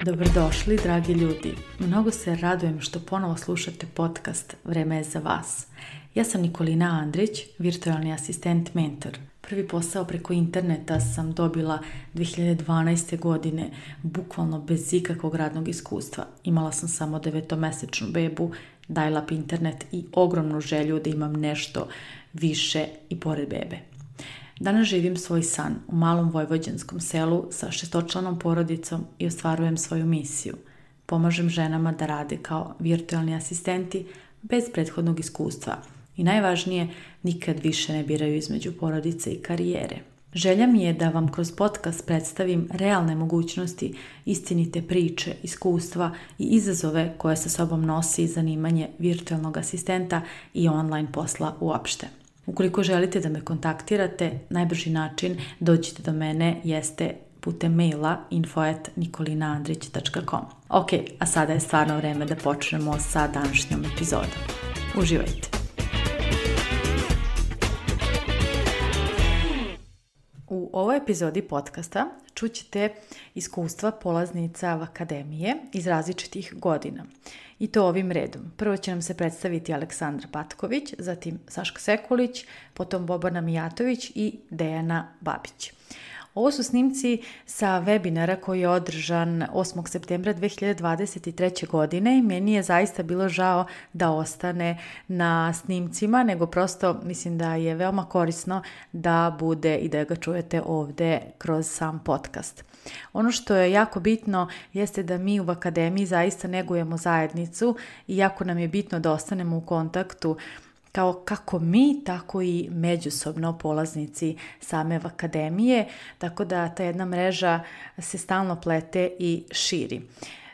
Dobrodošli, dragi ljudi. Mnogo se radujem što ponovo slušate podcast Vreme je za vas. Ja sam Nikolina Andrić, virtualni asistent mentor. Prvi posao preko interneta sam dobila 2012. godine, bukvalno bez ikakvog radnog iskustva. Imala sam samo 9-mesečnu bebu, dial-up internet i ogromnu želju da imam nešto više i pored bebe. Danas živim svoj san u malom vojvođanskom selu sa 6-članom porodicom i ostvarujem svoju misiju. Pomažem ženama da rade kao virtualni asistenti bez prethodnog iskustva i najvažnije, nikad više ne biraju između porodice i karijere. Želja mi je da vam kroz podcast predstavim realne mogućnosti, istinite priče, iskustva i izazove koje sa sobom nosi zanimanje virtualnog asistenta i online posla uopšte. Ukoliko želite da me kontaktirate, najbrži način dođite do mene jeste putem maila info@nikolinaandrić.com. Ok, a sada je stvarno vreme da počnemo sa današnjom epizodom. Uživajte! U ovoj epizodi podcasta čućete iskustva polaznica akademije iz različitih godina. I to ovim redom. Prvo će nam se predstaviti Aleksandra Patković, zatim Saška Sekulić, potom Bobana Mijatović i Dejana Babić. Ovo su snimci sa webinara koji je održan 8. septembra 2023. godine i meni je zaista bilo žao da ostane na snimcima, nego prosto mislim da je veoma korisno da bude i da ga čujete ovde kroz sam podcast. Ono što je jako bitno jeste da mi u akademiji zaista negujemo zajednicu i jako nam je bitno da ostanemo u kontaktu kao kako mi, tako i međusobno polaznici same akademije, tako da ta jedna mreža se stalno plete i širi.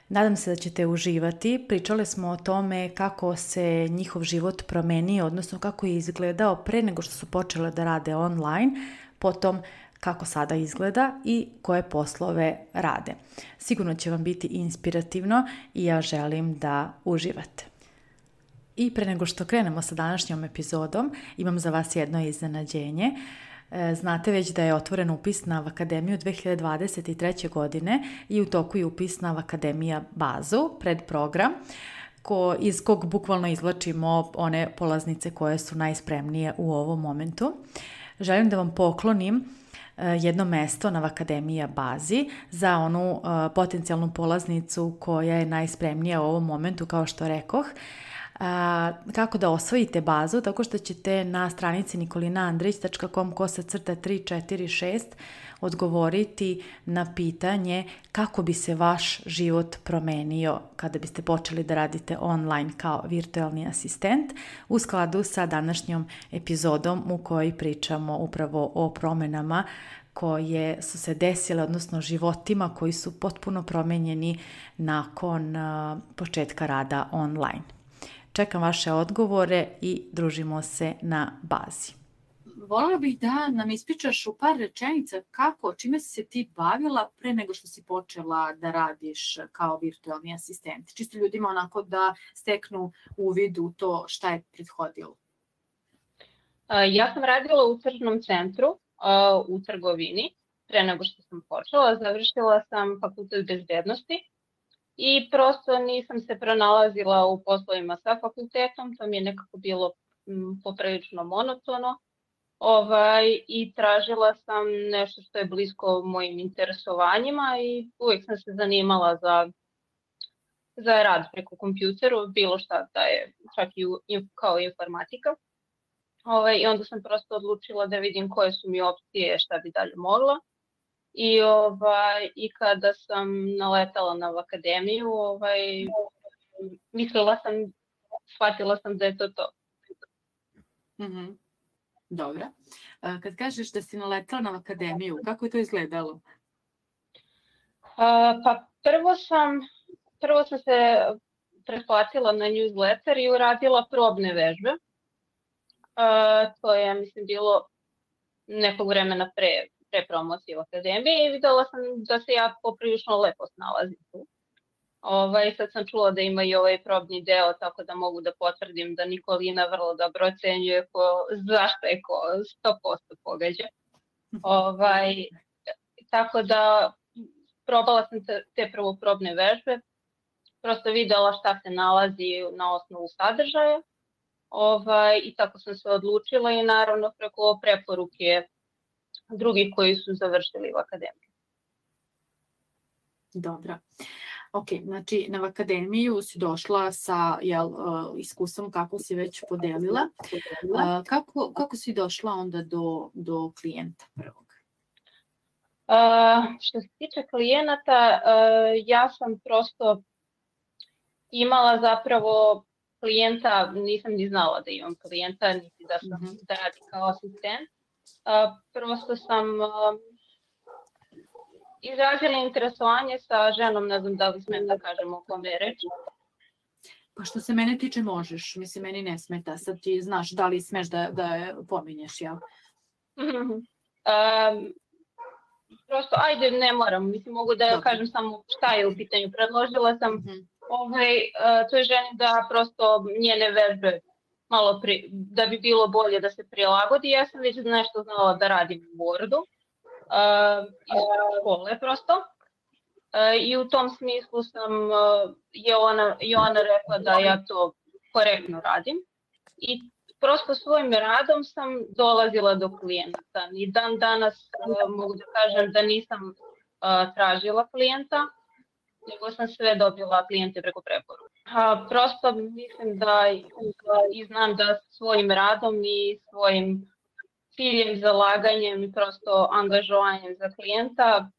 Nadam se da ćete uživati. Pričale smo o tome kako se njihov život promenio, odnosno kako je izgledao pre nego što su počele da rade online, potom kako sada izgleda i koje poslove rade. Sigurno će vam biti inspirativno i ja želim da uživate. I pre nego što krenemo sa današnjom epizodom, imam za vas jedno iznenađenje. Znate već da je otvoren upis na Akademiju 2023. godine i u toku je upis na Akademija bazu, predprogram, iz kog bukvalno izvlačimo one polaznice koje su najspremnije u ovom momentu. Želim da vam poklonim jedno mesto na Akademija bazi za onu potencijalnu polaznicu koja je najspremnija u ovom momentu, kao što rekoh. Kako da osvojite bazu, tako što ćete na stranici nikolinaandrić.com/346 odgovoriti na pitanje kako bi se vaš život promenio kada biste počeli da radite online kao virtualni asistent u skladu sa današnjom epizodom u kojoj pričamo upravo o promenama koje su se desile, odnosno životima koji su potpuno promenjeni nakon početka rada online. Čekam vaše odgovore i družimo se na bazi. Voljela bih da nam ispričaš u par rečenica čime si se ti bavila pre nego što si počela da radiš kao virtualni asistent. Čisto ljudima onako da steknu uvid u to šta je prethodilo. Ja sam radila u tržnom centru u trgovini pre nego što sam počela. Završila sam fakultet bezbednosti. I prosto nisam se pronalazila u poslovima sa fakultetom, to mi je nekako bilo poprilično monotono i tražila sam nešto što je blisko mojim interesovanjima i uvijek sam se zanimala za rad preko kompjuteru, bilo šta da je čak i kao informatika. I onda sam prosto odlučila da vidim koje su mi opcije, šta bi dalje mogla. I kada sam naletala na akademiju, shvatila sam da je to to. Mm-hmm. Dobro. Kad kažeš da si naletala na akademiju, kako je to izgledalo? Pa prvo sam se pretplatila na newsletter i uradila probne vežbe. To je, mislim, bilo nekog vremena pre promocije u akademiji i videla sam da se ja poprilično lepo snalazim tu. Sad sam čula da ima i ovaj probni deo, tako da mogu da potvrdim da Nikolina vrlo dobro ocenjuje zašto je ko 100% pogađa. Tako da probala sam te prvoprobne vežbe, prosto videla šta se nalazi na osnovu sadržaja i tako sam se odlučila i naravno preko preporuke drugih koji su završili u akademiji. Dobro. Ok, znači na akademiju si došla sa iskustvom kako si već podelila. Kako si došla onda do klijenta prvog? Što se tiče klijenata, ja sam prosto imala zapravo klijenta, nisam ni znala da imam klijenta, niti da sam da radim kao asistent. Prosto sam izrazila interesovanje sa ženom, ne znam da li smem da kažem o kome je reč. Pa što se mene tiče možeš, mislim meni ne smeta, sad ti znaš da li smeš da je pominješ, jel? Prosto, ajde, ne moram, mislim mogu da kažem samo šta je u pitanju. Predložila sam toj ženi da prosto njene vežbe malo da bi bilo bolje da se prilagodi. Ja sam već nešto znala da radim u Wordu iz škole prosto. I u tom smislu je ona rekla da ja to korektno radim. I prosto svojim radom sam dolazila do klijenata. I dan danas mogu da kažem da nisam tražila klijenta, nego sam sve dobila klijente preko preporuke. Prosto mislim da i znam da svojim radom i svojim ciljem, zalaganjem i prosto angažovanjem za klijenta,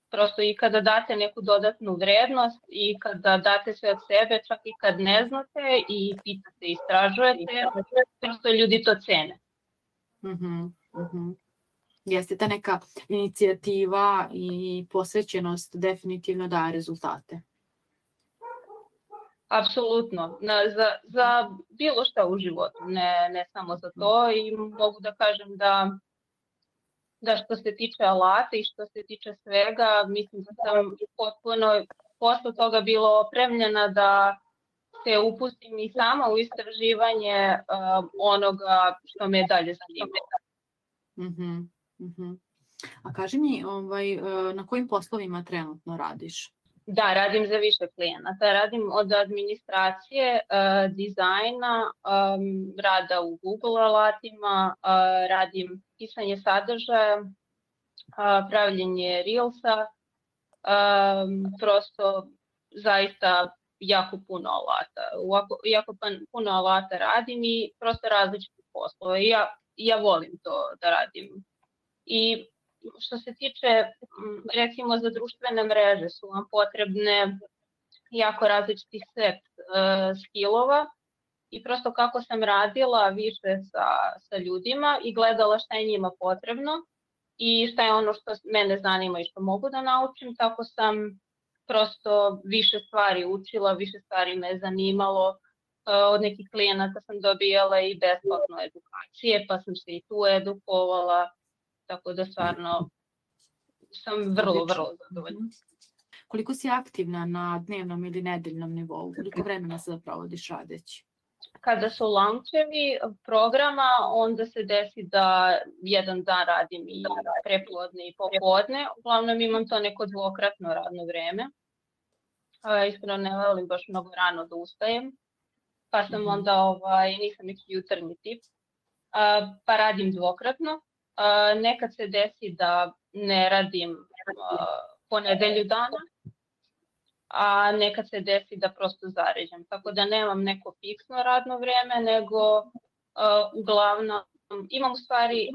prosto i kada date neku dodatnu vrednost i kada date sve od sebe, čak i kad ne znate i pitate, istražujete, prosto ljudi to cene. Jeste ta neka inicijativa i posvećenost definitivno daje rezultate. Apsolutno, za bilo šta u životu, ne samo za to, i mogu da kažem da što se tiče alata i što se tiče svega, mislim da sam potpuno posle toga bila opremljena da se upustim i sama u istraživanje onoga što me dalje zanima. A kaži mi, na kojim poslovima trenutno radiš? Da, radim za više klijenata. Radim od administracije, dizajna, rada u Google alatima, radim pisanje sadržaja, pravljenje Reelsa, prosto zaista jako puno alata. Jako puno alata radim i prosto različite poslove. Ja volim to da radim. I što se tiče, recimo za društvene mreže su vam potrebne jako različiti set skillova i prosto kako sam radila više sa ljudima i gledala šta je njima potrebno i šta je ono što mene zanima i što mogu da naučim, tako sam prosto više stvari učila, više stvari me zanimalo. Od nekih klijenata sam dobijala i besplatno edukacije, pa sam se i tu edukovala. Tako da stvarno sam vrlo zadovoljna. Koliko si aktivna na dnevnom ili nedeljnom nivou? Koliko vremena sada provodiš radeći? Kada su launchevi programa, onda se desi da jedan dan radim i prepodne i popodne. Uglavnom imam to neko dvokratno radno vreme. Iskreno ne volim baš mnogo rano da ustajem, pa sam onda nisam neki jutarnji tip, pa radim dvokratno. Nekad se desi da ne radim po nedelju dana, a nekad se desi da prosto zaređam. Tako da nemam neko fiksno radno vreme, nego uglavnom imam u stvari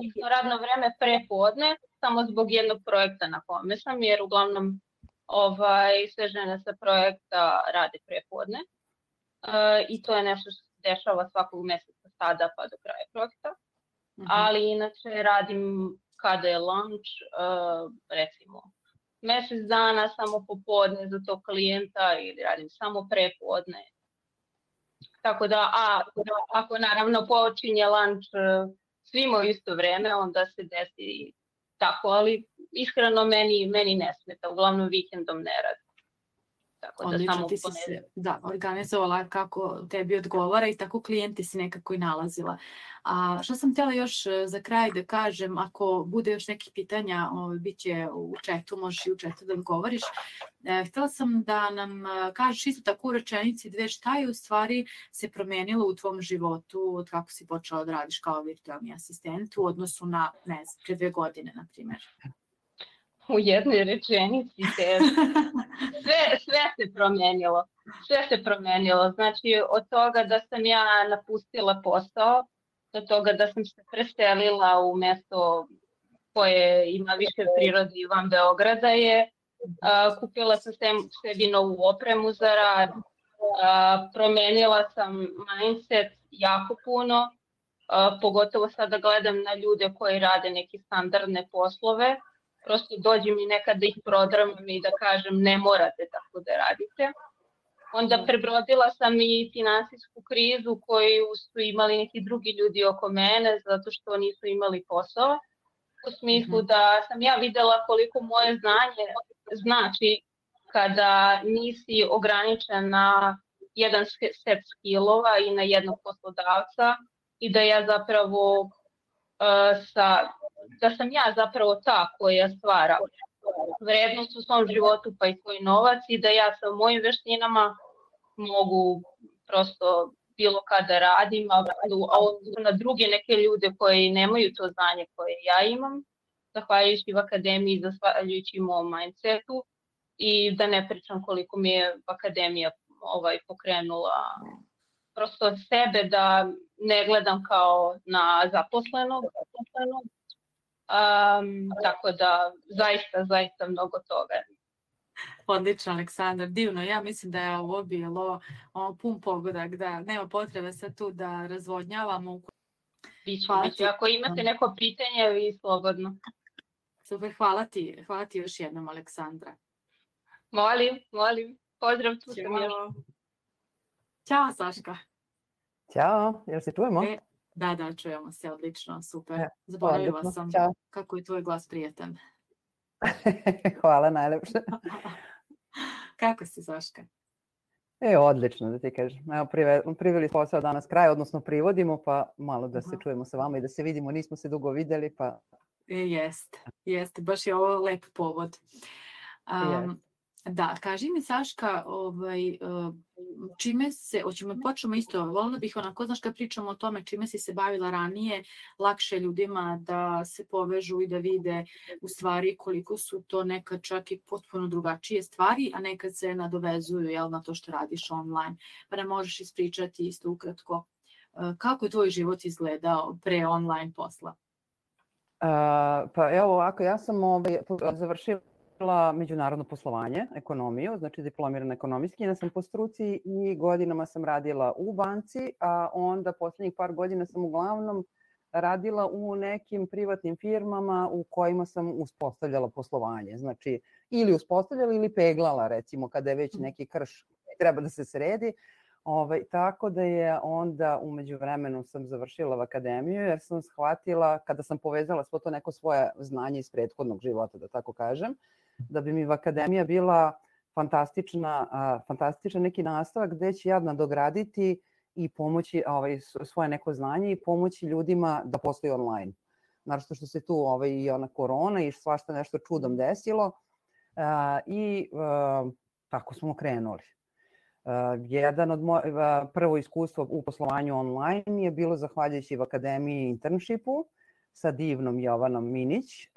fiksno radno vreme prepodne, samo zbog jednog projekta na kome sam, jer uglavnom sve žene sa projekta rade prepodne. I to je nešto što se dešava svakog meseca sada pa do kraja projekta. Ali inače radim kada je lunch, recimo mesec dana samo popodne za tog klijenta ili radim samo prepodne. Tako da, ako naravno počinje lunch svima u isto vreme, onda se desi tako, ali iskreno meni ne smeta, uglavnom vikendom ne radim. Tako da Odlično, samo ti si se organizovala kako tebi odgovara i tako klijente si nekako i nalazila. A što sam htjela još za kraj da kažem, ako bude još nekih pitanja, bit će u chatu, možeš i u chatu da odgovoriš. Htjela sam da nam kažeš isto tako u rečenici dve, šta je u stvari se promenilo u tvom životu od kako si počela da radiš kao virtualni asistent u odnosu na, ne znam, pre 2 godine, na primjer. U jednoj rečenici sve se promenilo. Sve se promenilo. Znači, od toga da sam ja napustila posao, do toga da sam se preselila u mesto koje ima više prirode i van Beograda je. Kupila sam sebi novu opremu za rad. Promenila sam mindset jako puno. Pogotovo sada gledam na ljude koji rade neke standardne poslove. Prosto dođe mi nekad da ih prodramam i da kažem ne morate tako da radite. Onda prebrodila sam i finansijsku krizu koju su imali neki drugi ljudi oko mene zato što nisu imali posao. U smislu da sam ja videla koliko moje znanje znači kada nisi ograničen na jedan set skillova i na jednog poslodavca i da ja zapravo da sam ja zapravo ta koja stvara vrednost u svom životu pa i svoj novac i da ja sa mojim veštinama mogu prosto bilo kada radim, a na druge neke ljude koji nemaju to znanje koje ja imam, zahvaljujući akademiji, zahvaljujući mom mindsetu i da ne pričam koliko mi je akademija pokrenula prosto sebe da ne gledam kao na zaposlenog. Tako da zaista mnogo toga. Odlično, Aleksandar, divno. Ja mislim da je ovo bilo pun pogodak, da nema potrebe sad tu da razvodnjavamo. Biće. Ako imate neko pitanje, vi slobodno. Super, hvala ti još jednom, Aleksandra. Molim. Pozdrav, tu sam još. Ćao, Saška. Ćao, jel se čujemo? Da, čujemo se, odlično, super. Zaboravila sam kako je tvoj glas prijatan. Hvala, najlepše. Kako si, Saška? Odlično, da ti kažem. Evo, priveli posao danas kraj, odnosno privodimo, pa malo da se čujemo sa vama i da se vidimo. Nismo se dugo videli, pa... Jeste, baš je ovo lep povod. Da, kaži mi, Saška, počnemo isto, voljela bih onako, znaš, kad pričamo o tome čime si se bavila ranije, lakše ljudima da se povežu i da vide u stvari koliko su to nekad čak i potpuno drugačije stvari, a nekad se nadovezuju na to što radiš online. Pa ne možeš ispričati isto ukratko kako je tvoj život izgledao pre online posla? Pa evo ovako, ja sam završila međunarodno poslovanje, ekonomiju, znači diplomirana ekonomistkinja sam po struci i godinama sam radila u banci, a onda poslednjih par godina sam uglavnom radila u nekim privatnim firmama u kojima sam uspostavljala poslovanje. Znači, ili uspostavljala ili peglala, recimo, kada je već neki krš treba da se sredi. Tako da je onda u međuvremenu sam završila akademiju jer sam shvatila, kada sam povezala svo to neko svoje znanje iz prethodnog života, da tako kažem, da bi mi akademija bila fantastičan neki nastavak gde ću ja nadograditi i pomoći svoje neko znanje i pomoći ljudima da posluju online. Naravno što se tu i ona korona i svašta nešto čudom desilo i tako smo krenuli. Jedan od prvo iskustvo u poslovanju online je bilo zahvaljujući v akademiji internshipu sa divnom Jovanom Minić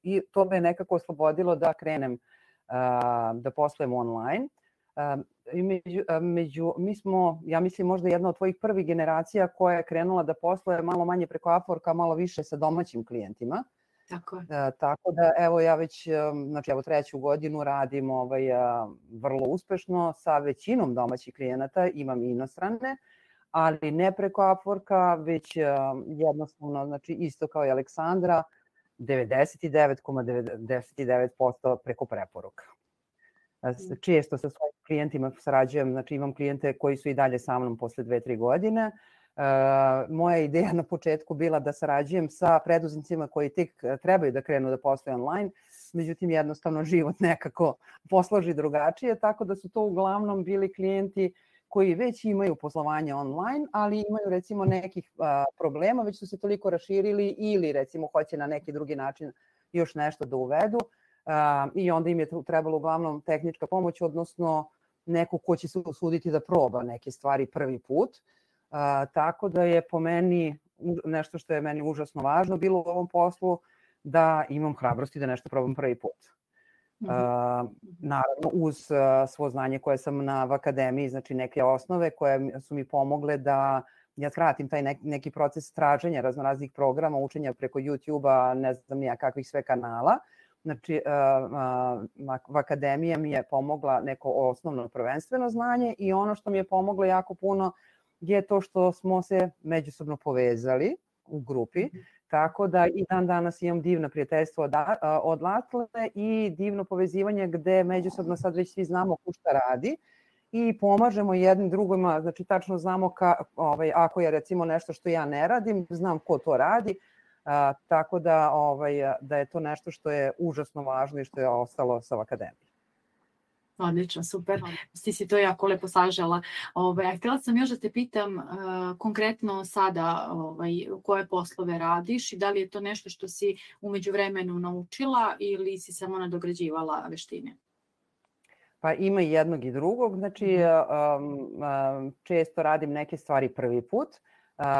i to me nekako oslobodilo da krenem da poslujem online. Mi smo, ja mislim, možda jedna od tvojih prvih generacija koja je krenula da posluje malo manje preko Upworka, malo više sa domaćim klijentima. Tako da, evo, ja već, znači, evo, 3. godinu radim vrlo uspešno sa većinom domaćih klijenata, imam i inostrane, ali ne preko Upworka, već jednostavno, znači, isto kao i Aleksandra, 99,99% preko preporuka. Često sa svojim klijentima sarađujem, znači imam klijente koji su i dalje sa mnom posle 2-3 godine. Moja ideja na početku bila da sarađujem sa preduzetnicima koji tek trebaju da krenu da posluju online. međutim jednostavno život nekako posloži drugačije, tako da su to uglavnom bili klijenti koji već imaju poslovanje online, ali imaju recimo nekih problema, već su se toliko raširili ili recimo hoće na neki drugi način još nešto da uvedu i onda im je trebalo uglavnom tehnička pomoć, odnosno neko ko će se usuditi da proba neke stvari prvi put. Tako da je po meni nešto što je meni užasno važno bilo u ovom poslu da imam hrabrosti da nešto probam prvi put. Naravno uz svo znanje koje sam na akademiji, znači neke osnove koje su mi pomogle da ja skratim taj neki proces traženja raznoraznih programa, učenja preko YouTube-a, ne znam nija kakvih sve kanala. Znači, akademija mi je pomogla neko osnovno prvenstveno znanje i ono što mi je pomoglo jako puno je to što smo se međusobno povezali u grupi, tako da i dan danas imam divno prijateljstvo odatle i divno povezivanje gde međusobno sad već svi znamo ko šta radi i pomažemo jednim drugima, znači tačno znamo ako je recimo nešto što ja ne radim, znam ko to radi, tako da je to nešto što je užasno važno i što je ostalo sa akademijom. Odlično, super. Ti si to jako lepo sažela. Htjela sam još da te pitam konkretno sada koje poslove radiš i da li je to nešto što si u međuvremenu naučila ili si samo nadograđivala veštine? Pa ima i jednog i drugog. Znači, često radim neke stvari prvi put.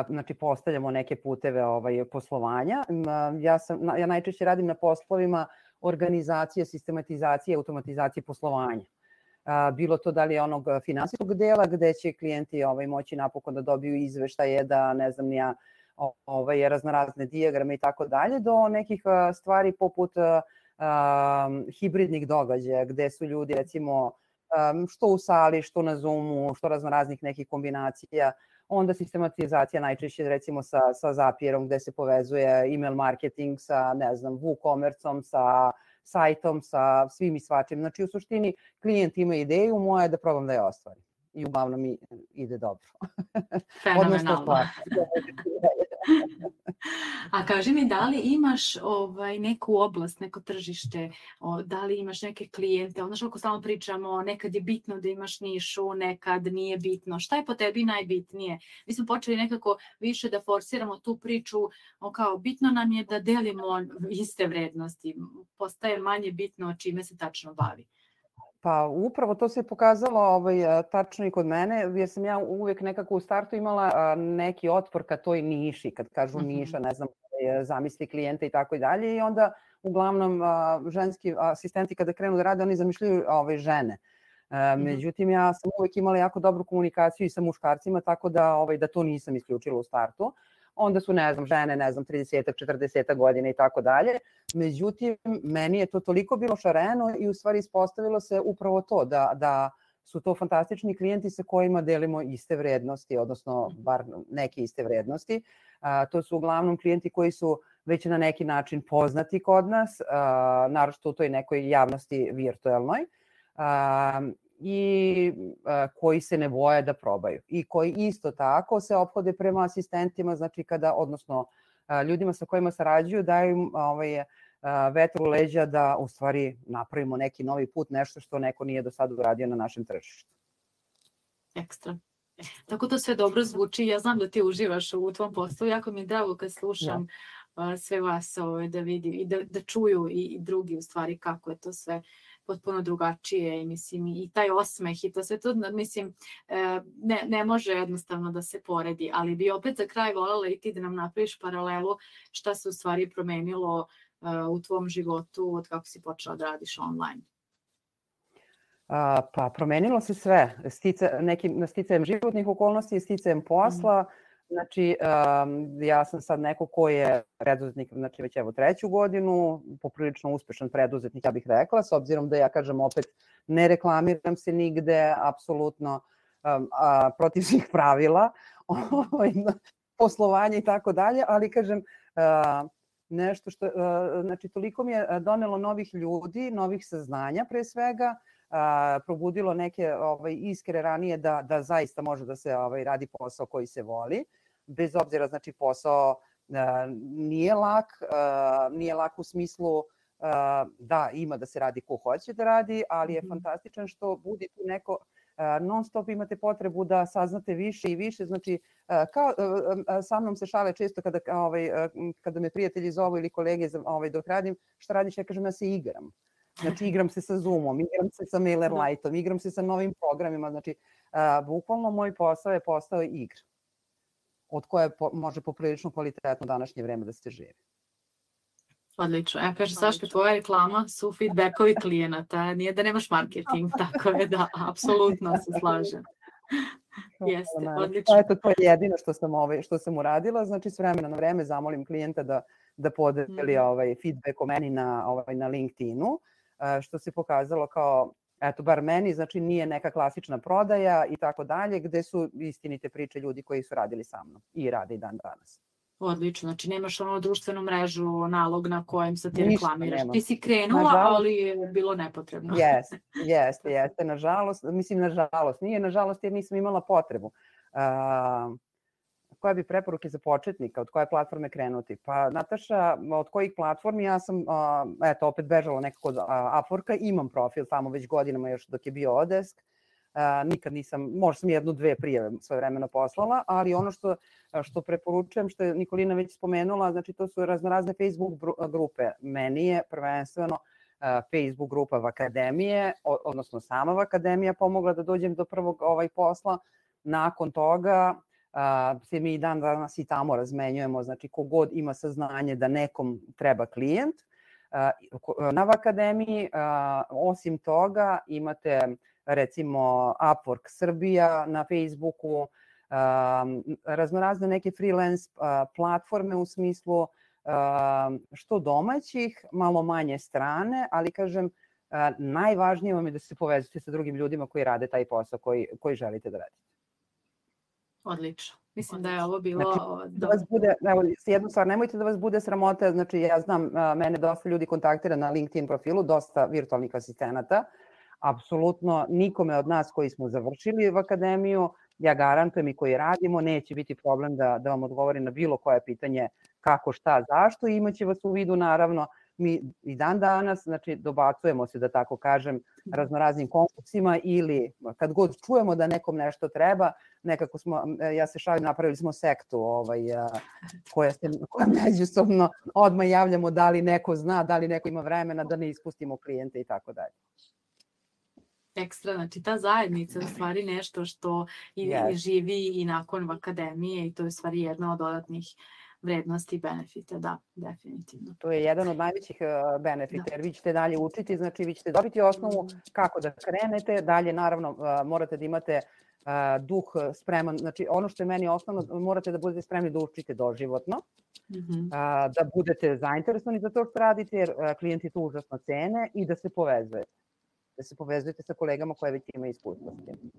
Znači, postavljamo neke puteve poslovanja. Ja najčešće radim na poslovima organizacije, sistematizacije, automatizacije poslovanja. Bilo to da li je onog finansijskog dela gde će klijenti moći napokon da dobiju izveštaje, da ne znam nija raznorazne dijagrame i tako dalje, do nekih stvari poput hibridnih događaja gde su ljudi recimo što u sali, što na Zoomu, što raznoraznih nekih kombinacija. Onda sistematizacija najčešće recimo sa Zapierom gde se povezuje email marketing sa, ne znam, WooCommerce-om, sa sajtom, sa svim i svačim. Znači u suštini klijent ima ideju, moja je da probam da je ostvarim. I uglavnom mi ide dobro. Fenomenalno. A kaži mi, da li imaš neku oblast, neko tržište, da li imaš neke klijente, znaš kako stalno pričamo, nekad je bitno da imaš nišu, nekad nije bitno. Šta je po tebi najbitnije? Mi smo počeli nekako više da forsiramo tu priču, kao bitno nam je da delimo iste vrednosti, postaje manje bitno čime se tačno bavi. Pa upravo to se pokazalo tačno i kod mene, jer sam ja uvijek nekako u startu imala neki otpor ka toj niši, kad kažu niša, ne znam, zamisli klijenta i tako i dalje, i onda uglavnom ženski asistenti kada krenu da rade, oni zamišljaju žene. Međutim, ja sam uvijek imala jako dobru komunikaciju i sa muškarcima, tako da to nisam isključila u startu. Onda su, ne znam, žene, 30-ak, 40-ak godina i tako dalje. Međutim, meni je to toliko bilo šareno i u stvari ispostavilo se upravo to, da su to fantastični klijenti sa kojima delimo iste vrednosti, odnosno bar neke iste vrednosti. To su uglavnom klijenti koji su već na neki način poznati kod nas, naročito u toj nekoj javnosti virtuelnoj, i koji se ne boje da probaju i koji isto tako se ophode prema asistentima, znači odnosno ljudima sa kojima sarađuju, daju im vetru u leđa da u stvari napravimo neki novi put, nešto što neko nije do sada uradio na našem tržištu. Ekstra. Tako to sve dobro zvuči. Ja znam da ti uživaš u tvom poslu. Jako mi je drago kad slušam sve vas da vidi i da čuju i drugi u stvari kako je to sve potpuno drugačije i mislim i taj osmeh i to sve to, mislim, ne može jednostavno da se poredi, ali bi opet za kraj voljela i ti da nam napraviš paralelu šta se u stvari promenilo u tvom životu od kako si počela da radiš online. Pa promenilo se sve, sticajem životnih okolnosti i sticajem posla. Znači, ja sam sad neko ko je preduzetnik, znači već evo 3. godinu, poprilično uspešan preduzetnik, ja bih rekla, s obzirom da ja kažem opet ne reklamiram se nigde, apsolutno protiv svih pravila, poslovanja i tako dalje, ali kažem nešto što, znači toliko mi je donelo novih ljudi, novih saznanja pre svega, probudilo neke iskre ranije da zaista može da se radi posao koji se voli. Bez obzira, znači posao nije lak u smislu da ima da se radi ko hoće da radi, ali je fantastičan što budi tu neko non stop imate potrebu da saznate više i više, znači sa mnom se šale često kada me prijatelji zovu ili kolege dok radim, šta radiš, ja kažem ja se igram. Znači igram se sa Zoomom, igram se sa MailerLite-om, igram se sa novim programima, znači bukvalno moj posao je postao igra od koje može poprilično kvalitetno današnje vreme da se živi. Odlično. Ja kažem, Saška, tvoja reklama su feedbackovi klijenata, nije da nemaš marketing, tako je da, apsolutno se slažem. Jeste, odlično. Eto, to je jedino što sam uradila, znači s vremena na vreme zamolim klijenta da podeli feedback o meni na LinkedInu, što se pokazalo kao, eto, bar meni, znači nije neka klasična prodaja i tako dalje, gde su istinite priče ljudi koji su radili sa mnom i rade i dan danas. Odlično, znači nemaš društvenu mrežu, nalog na kojem se ti reklamiraš. Ti si krenula, ali je bilo nepotrebno. Jeste, nažalost, nije nažalost jer nisam imala potrebu. Koja bi preporuke za početnika, od koje platforme krenuti? Pa Nataša, od kojih platformi? Ja sam, eto, opet bežala nekako od Upworka, imam profil tamo već godinama još dok je bio Odesk. Nikad nisam, možda sam 1-2 prijave svoje vremena poslala, ali ono što preporučujem, što je Nikolina već spomenula, znači to su razne Facebook grupe. Meni je prvenstveno Facebook grupa Vakademije, odnosno sama Vakademija pomogla da dođem do prvog posla. Nakon toga se mi i dan danas i tamo razmenjujemo, znači kogod ima saznanje da nekom treba klijent. Na Vakademiji, osim toga, imate recimo Upwork Srbija na Facebooku, raznorazne neke freelance platforme u smislu što domaćih, malo manje strane, ali kažem, najvažnije vam je da se povezujete sa drugim ljudima koji rade taj posao koji želite da radite. Odlično. Mislim da je ovo bilo... Znači, da vas bude, evo, jednu stvar, nemojte da vas bude sramota, znači ja znam, mene dosta ljudi kontaktira na LinkedIn profilu, dosta virtualnih asistenata, apsolutno nikome od nas koji smo završili v akademiju, ja garantujem i koji radimo, neće biti problem da vam odgovori na bilo koje pitanje kako, šta, zašto i imaće vas u vidu naravno. Mi i dan danas, znači dobacujemo se da tako kažem raznoraznim konkursima ili kad god čujemo da nekom nešto treba, nekako smo, ja se šalim, napravili smo sektu koja međusobno odmah javljamo da li neko zna, da li neko ima vremena da ne ispustimo klijente i tako dalje. Ekstra, znači ta zajednica je u stvari nešto što i živi i nakon akademije i to je u stvari jedna od dodatnih vrednosti i benefita, da, definitivno. To je jedan od najvećih benefita, jer vi ćete dalje učiti, znači vi ćete dobiti osnovu kako da krenete, dalje naravno morate da imate duh spreman, znači ono što je meni osnovno, morate da budete spremni da učite doživotno, da budete zainteresovani za to što radite, jer klijenti to užasno cene i da se povezujete. Da se povezujete sa kolegama koje već imaju iskustva s tim.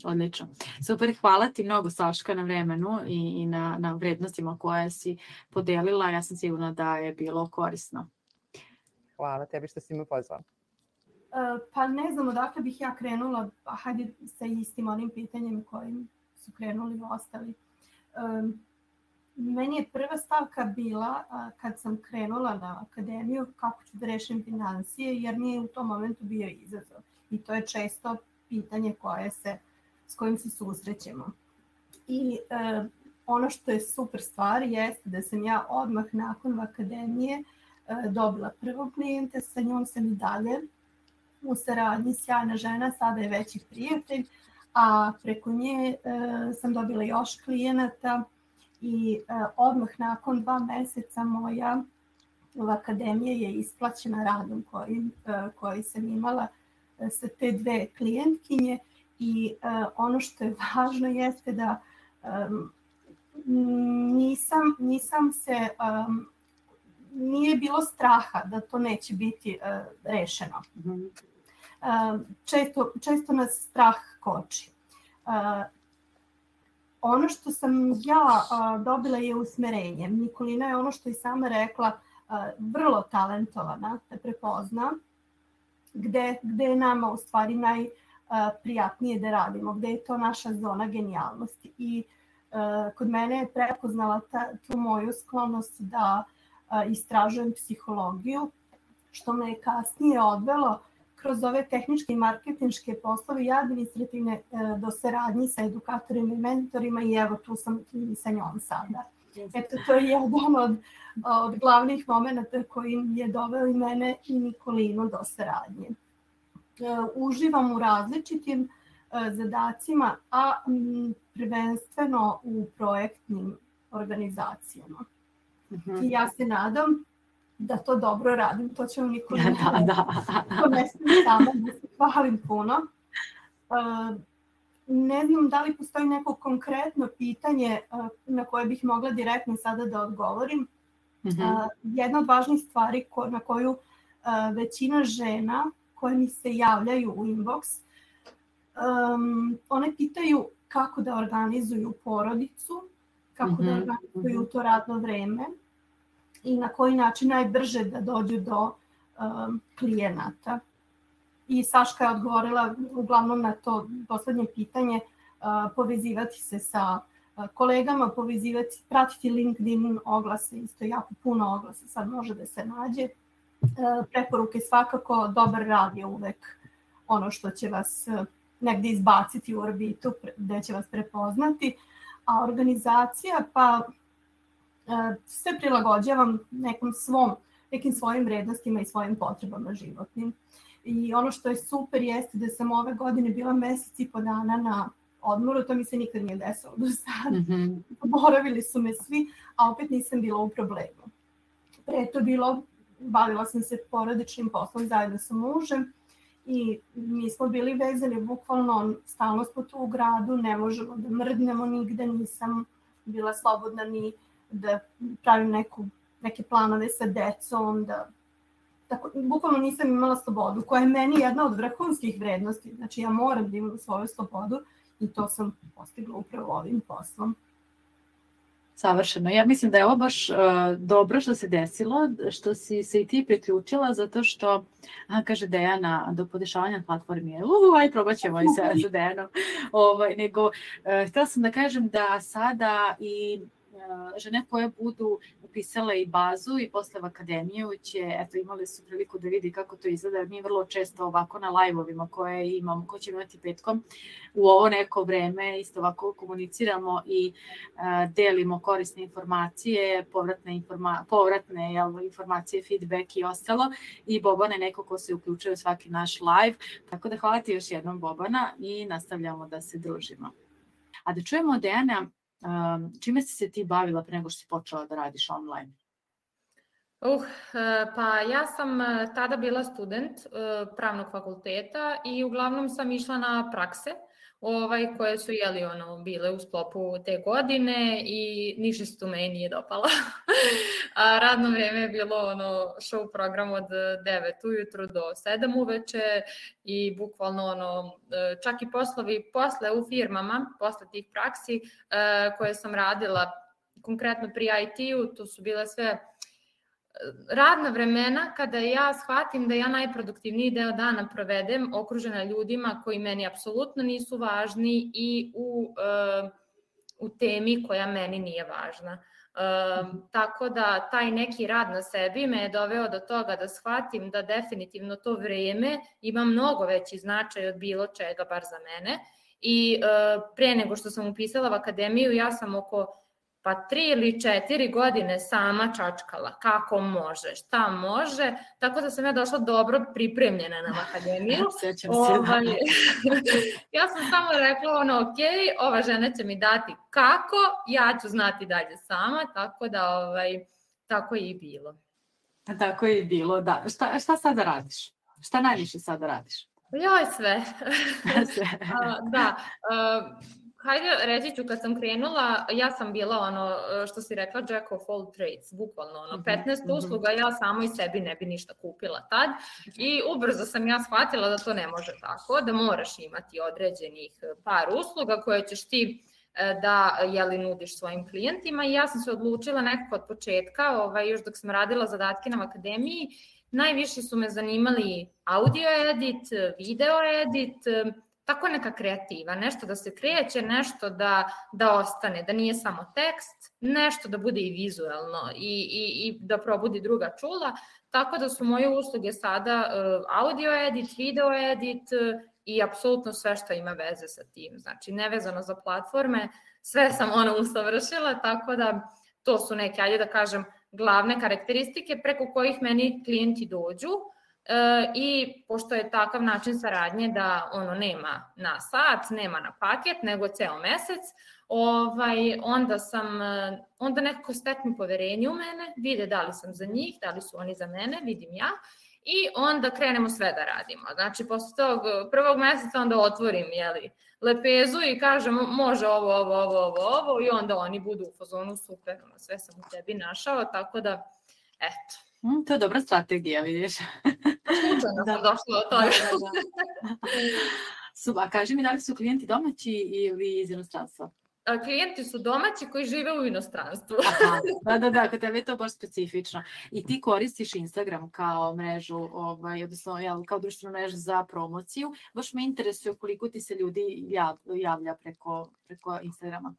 Odlično. Super, hvala ti mnogo, Saška, na vremenu i na vrednostima koje si podelila. Ja sam sigurna da je bilo korisno. Hvala tebi što si me pozvala. Pa ne znam odakle bih ja krenula, hajde sa istim onim pitanjem kojim su krenuli ostali. Meni je prva stavka bila kad sam krenula na akademiju kako ću da rešim financije, jer mi je u tom momentu bio izazov. I to je često pitanje s kojim se susrećemo. I ono što je super stvar jeste da sam ja odmah nakon akademije dobila prvog klijenta, sa njom sam i dalje u saradnji, sjajna žena, sada je veći prijatelj, a preko nje sam dobila još klijenata i odmah nakon 2 meseca moja akademija je isplaćena radom koji sam imala sa te 2 klijentkinje i ono što je važno jeste da nije bilo straha da to neće biti rešeno. Često nas strah koči. Ono što sam ja dobila je usmerenje. Nikolina je ono što i sama rekla, vrlo talentovana da prepozna gde je nama u stvari najprijatnije da radimo, gde je to naša zona genijalnosti. I kod mene je prepoznala tu moju sklonost da istražujem psihologiju, što me je kasnije odvelo kroz ove tehničke i marketinške poslove i administrativne do saradnji sa edukatorima i mentorima i evo tu sam i sa njom sada. Eto, to je jedan od glavnih momenta koji je doveo i mene i Nikolinu do saradnje. Uživam u različitim zadacima, a prvenstveno u projektnim organizacijama. I ja se nadam da to dobro radim, to će vam Nikolina to ne smije sama da se hvalim puno. Ne znam da li postoji neko konkretno pitanje na koje bih mogla direktno sada da odgovorim. Jedna od važnih stvari na koju većina žena koje mi se javljaju u inbox, one pitaju kako da organizuju porodicu, kako da organizuju to radno vreme i na koji način najbrže da dođu do klijenata. I Saška je odgovorila uglavnom na to poslednje pitanje, povezivati se sa kolegama, pratiti LinkedIn oglase, isto jako puno oglasa sad može da se nađe. Preporuke svakako, dobar rad je uvek ono što će vas negde izbaciti u orbitu, gde će vas prepoznati. A organizacija, pa sve prilagođavam nekim svojim vrednostima i svojim potrebama životnim. I ono što je super jeste da sam ove godine bila mesec i po dana na odmoru, to mi se nikad nije desilo do sada. Boravili su me svi, a opet nisam bila u problemu. Pre to bavila sam se porodičnim poslom zajedno sa mužem i mi smo bili vezani, bukvalno stalno smo tu u gradu, ne možemo da mrdnemo nigde, nisam bila slobodna ni da pravim neke planove sa decom, tako, bukvalno nisam imala slobodu, koja je meni jedna od vrhunskih vrednosti. Znači ja moram da imam svoju slobodu i to sam postigla upravo ovim poslom. Savršeno. Ja mislim da je ovo baš dobro što se desilo, što si se i ti priključila, zato što, kaže Dejana, do podešavanja platformi je, aj probat ćemo i sa Dejanom, nego htjela sam da kažem da sada i žene koje budu upisale i bazu i posle u akademiju će, imali su priliku da vidi kako to izgleda. Mi vrlo često ovako na live-ovima koje imamo, ko će imati petkom, u ovo neko vreme isto ovako komuniciramo i delimo korisne informacije, povratne informacije, feedback i ostalo. I Bobana je neko ko se uključuje u svaki naš live. Tako da hvala ti još jednom, Bobana, i nastavljamo da se družimo. A da čujemo od Dejana, čime si se ti bavila pre nego što si počela da radiš online? Pa ja sam tada bila student pravnog fakulteta i uglavnom sam išla na prakse koje su bile u sklopu te godine i ništa se tu meni nije dopalo. A radno vreme je bilo show program od 9 ujutru do 7 uveče i bukvalno čak i poslovi posle u firmama, posle tih praksi koje sam radila konkretno pri IT-u, to su bile sve radna vremena kada ja shvatim da ja najproduktivniji deo dana provedem okružena ljudima koji meni apsolutno nisu važni i u temi koja meni nije važna. Tako da taj neki rad na sebi me je doveo do toga da shvatim da definitivno to vreme ima mnogo veći značaj od bilo čega, bar za mene. I pre nego što sam upisala u akademiju, ja sam oko 3 ili 4 godine sama čačkala kako može, šta može, tako da sam ja došla dobro pripremljena na akademiju. Ja sam samo rekla, ok, ova žena će mi dati kako, ja ću znati dalje sama, tako da tako je i bilo. Tako je i bilo, da. Šta sada radiš? Šta najviše sada radiš? Joj, sve. Da. Hajde, reći ću, kad sam krenula, ja sam bila što si rekla, jack of all trades, bukvalno 15 usluga, ja samo i sebi ne bi ništa kupila tad i ubrzo sam ja shvatila da to ne može tako, da moraš imati određenih par usluga koje ćeš ti da nudiš svojim klijentima i ja sam se odlučila nekako od početka, još dok sam radila zadatke na akademiji, najviše su me zanimali audio edit, video edit, tako neka kreativa, nešto da se kreće, nešto da ostane, da nije samo tekst, nešto da bude i vizuelno i da probudi druga čula, tako da su moje usluge sada audio edit, video edit i apsolutno sve što ima veze sa tim, znači nevezano za platforme, sve sam usavršila, tako da to su neke, ajde da kažem, glavne karakteristike preko kojih meni klijenti dođu i pošto je takav način saradnje da nema na sat, nema na paket, nego ceo mesec, onda nekako steknu poverenje u mene, vide da li sam za njih, da li su oni za mene, vidim ja, i onda krenemo sve da radimo. Znači, posle tog prvog meseca onda otvorim lepezu i kažem može ovo i onda oni budu u fazonu super, sve sam u tebi našao, tako da, eto. To je dobra strategija, vidiš. Slučajno sam došla od toga. A kaži mi, da li su klijenti domaći ili iz inostranstva? Klijenti su domaći koji žive u inostranstvu. Da, kod tebe je to baš specifično. I ti koristiš Instagram kao mrežu, odnosno kao društvenu mrežu za promociju. Baš me interesuje koliko ti se ljudi javlja preko Instagrama.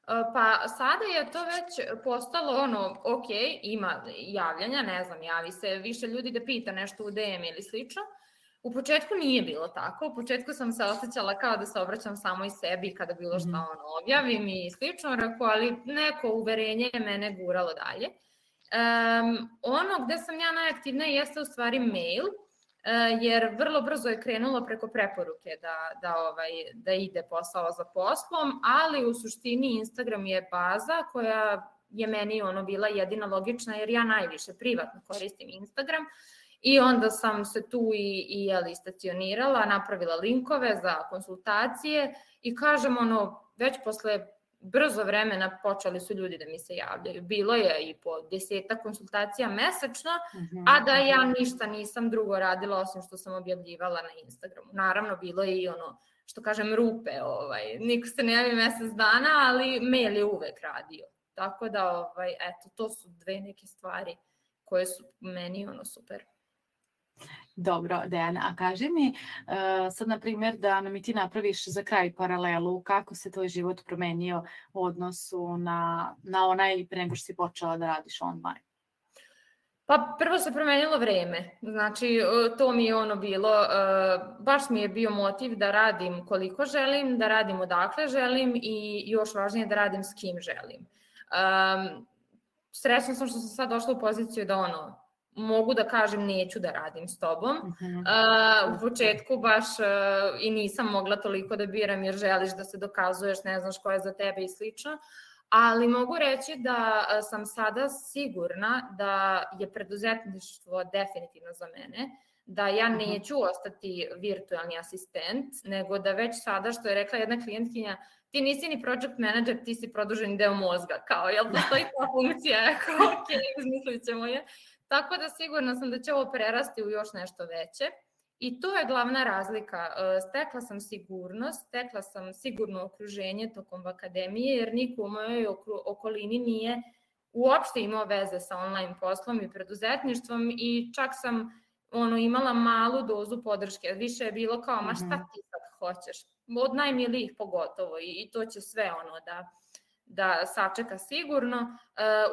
Pa sada je to već postalo ok, ima javljanja, ne znam, javi se više ljudi da pita nešto u DM ili slično. U početku nije bilo tako, u početku sam se osjećala kao da se obraćam samo i sebi kada bilo šta objavim i slično, ali neko uverenje je mene guralo dalje. Ono gde sam ja najaktivnija jeste u stvari mail, jer vrlo brzo je krenulo preko preporuke da ide posao za poslom, ali u suštini Instagram je baza koja je meni bila jedina logična, jer ja najviše privatno koristim Instagram i onda sam se tu i stacionirala, napravila linkove za konsultacije i kažem već posle brzo vremena počeli su ljudi da mi se javljaju. Bilo je i po 10 konsultacija mesečno, a da ja ništa nisam drugo radila osim što sam objavljivala na Instagramu. Naravno, bilo je i što kažem, rupe. Niko se ne javi mesec dana, ali mail je uvek radio. Tako da, eto, to su dve neke stvari koje su meni super. Dobro, Dejana, a kaži mi sad, na primjer, da nam i ti napraviš za kraj paralelu, kako se tvoj život promenio u odnosu na onaj pre nego što si počela da radiš online? Pa prvo se promenilo vreme, znači to mi je bilo, baš mi je bio motiv da radim koliko želim, da radim odakle želim i još važnije da radim s kim želim. Srećna sam što sam sad došla u poziciju da mogu da kažem neću da radim s tobom. U početku baš i nisam mogla toliko da biram jer želiš da se dokazuješ, ne znaš ko je za tebe i slično, ali mogu reći da sam sada sigurna da je preduzetništvo definitivno za mene, da ja neću ostati virtualni asistent, nego da već sada, što je rekla jedna klijentkinja, ti nisi ni project manager, ti si produženi deo mozga, kao, jel postoji ta funkcija? Ok, izmislit ćemo je. Tako da sigurna sam da će ovo prerasti u još nešto veće i to je glavna razlika. Stekla sam sigurnost, stekla sam sigurno okruženje tokom akademije, jer niko u mojoj okolini nije uopšte imao veze sa online poslom i preduzetništvom i čak sam imala malu dozu podrške. Više je bilo kao, ma šta ti sad hoćeš? Od najmilijih pogotovo i to će sve da sačeka sigurno.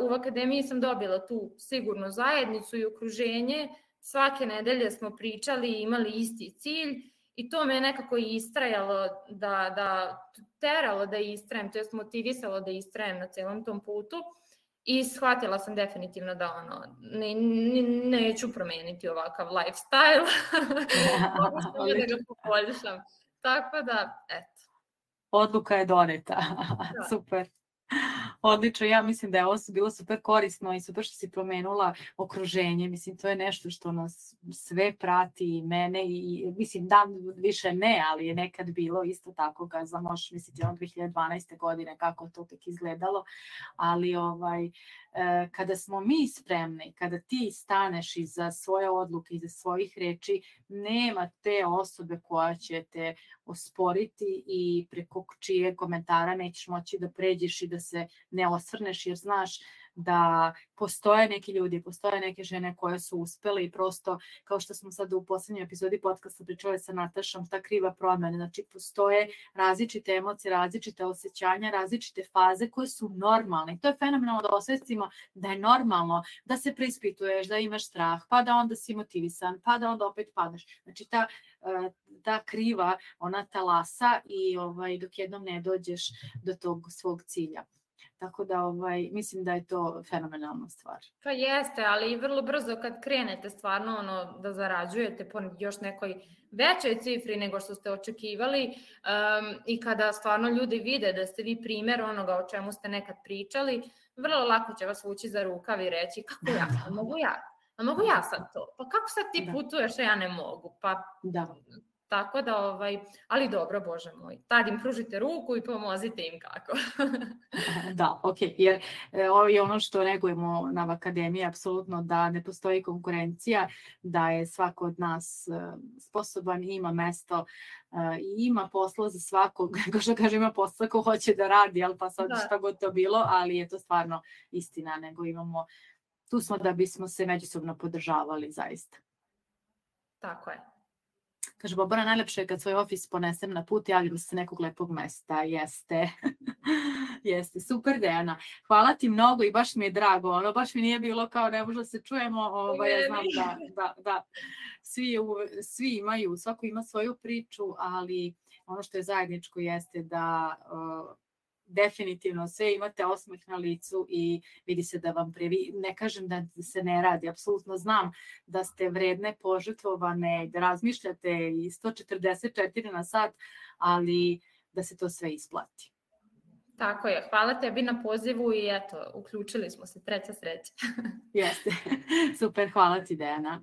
U akademiji sam dobila tu sigurnu zajednicu i okruženje. Svake nedelje smo pričali i imali isti cilj i to me nekako istrajalo teralo da istrajem, to jest motivisalo da istrajem na celom tom putu i shvatila sam definitivno da neću promeniti ovakav lifestyle, da ga poboljšam. Tako da, eto. Odluka je doneta. Super. Odlično, ja mislim da je ovo bilo super korisno i super što si promenula okruženje, mislim to je nešto što nas sve prati i mene i mislim da više ne, ali je nekad bilo isto tako, možeš misliti 2012. godine kako to tek izgledalo, ali kada smo mi spremni, kada ti staneš iza svoje odluke, iza svojih reči, nema te osobe koja će te osporiti i preko čije komentara nećeš moći da pređeš i da se ne osvrneš, jer znaš da postoje neki ljudi, postoje neke žene koje su uspele i prosto, kao što smo sad u poslednjoj epizodi podcasta pričali sa Natašom, ta kriva promena, znači postoje različite emocije, različite osjećanja, različite faze koje su normalne. I to je fenomenalno da osvestimo da je normalno da se preispituješ, da imaš strah, pa da onda si motivisan, pa da onda opet padaš. Znači ta kriva, ona talasa i dok jednom ne dođeš do tog svog cilja. Tako da mislim da je to fenomenalna stvar. Pa jeste, ali i vrlo brzo kad krenete stvarno da zarađujete po još nekoj većoj cifri nego što ste očekivali i kada stvarno ljudi vide da ste vi primer onoga o čemu ste nekad pričali, vrlo lako će vas vući za rukav i reći kako ja, mogu ja sad to, pa kako sad ti putuješ, a ja ne mogu, pa da. Tako da, ali dobro, Bože moj, tad im pružite ruku i pomozite im kako. Da, okej, jer ovo je ono što negujemo na akademiji, apsolutno da ne postoji konkurencija, da je svako od nas sposoban i ima mesto i ima posla za svakog, kao što kaže, ima posla ko hoće da radi, ali pa sad šta god to bilo, ali je to stvarno istina, nego imamo, tu smo da bismo se međusobno podržavali, zaista. Tako je. Kaže, Bobana, najlepše je kad svoj ofis ponesem na put, javljam se nekog lepog mesta. Jeste. Jeste. Super, Dejana. Hvala ti mnogo i baš mi je drago. Baš mi nije bilo kao ne možda se čujemo. Ja znam da svi imaju, svako ima svoju priču, ali ono što je zajedničko jeste da definitivno sve imate osmeh na licu i vidi se da vam ne kažem da se ne radi, apsolutno znam da ste vredne, požrtvovane, da razmišljate i 144 na sat, ali da se to sve isplati. Tako je, hvala tebi na pozivu i eto, uključili smo se, treća sreća. Jeste, super, hvala ti, Dejana.